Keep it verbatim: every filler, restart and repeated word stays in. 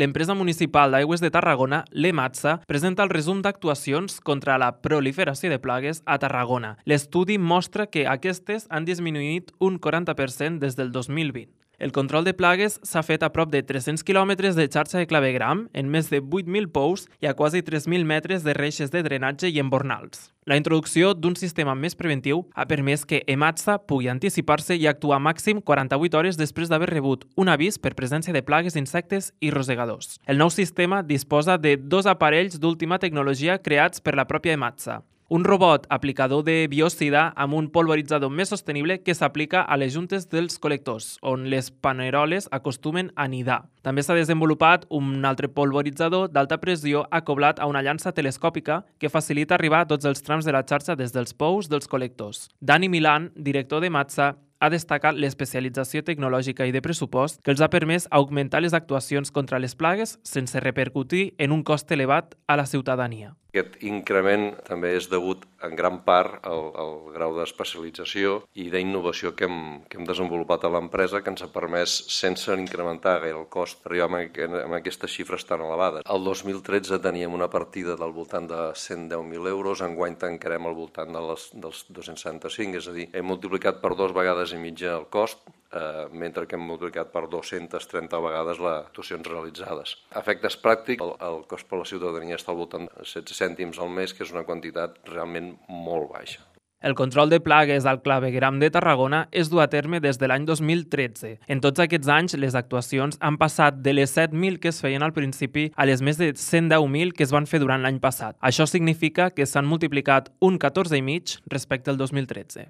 L'empresa municipal d'aigües de Tarragona, l'EMATSA, presenta el resum d'actuacions contra la proliferació de plagues a Tarragona. L'estudi mostra que aquestes han disminuït un quaranta per cent des del dos mil vint. El control de plagues s'ha fet a prop de tres-cents quilòmetres de xarxa de clavegram, en més de vuit mil pous i a quasi tres mil metres de reixes de drenatge i embornals. La introducció d'un sistema més preventiu ha permès que EMATSA pugui anticipar-se i actuar màxim quaranta-vuit hores després d'haver rebut un avís per presència de plagues d'insectes i rosegadors. El nou sistema disposa de dos aparells d'última tecnologia creats per la pròpia EMATSA. Un robot aplicador de biocida amb un polvoritzador més sostenible que s'aplica a les juntes dels col·lectors, on les paneroles acostumen a nidar. També s'ha desenvolupat un altre polvoritzador d'alta pressió acoblat a una llança telescòpica que facilita arribar a tots els trams de la xarxa des dels pous dels col·lectors. Dani Milán, director d'EMATSA, ha destacat l'especialització tecnològica i de pressupost que els ha permès augmentar les actuacions contra les plagues sense repercutir en un cost elevat a la ciutadania. Aquest increment també és degut en gran part al, al grau d'especialització i d'innovació que, hem, que hem desenvolupat a l'empresa, que ens ha permès, sense incrementar gaire el cost, arribar a aquestes xifres tan elevades. El dos mil tretze teníem una partida del voltant de cent deu mil euros, enguany tancarem al voltant de les, dels dos-cents setanta-cinc, és a dir, hem multiplicat per dos vegades i mitja el cost, eh, mentre que hem multiplicat per dues-centes trenta vegades les actuacions realitzades. A efectes pràctics, el, el cost per la ciutadania està al voltant de setze cèntims al mes, que és una quantitat realment molt baixa. El control de plagues al clavegueram de Tarragona es du a terme des de l'any dos mil tretze. En tots aquests anys, les actuacions han passat de les set mil que es feien al principi a les més de cent deu mil que es van fer durant l'any passat. Això significa que s'han multiplicat un catorze i mig respecte al dos mil tretze.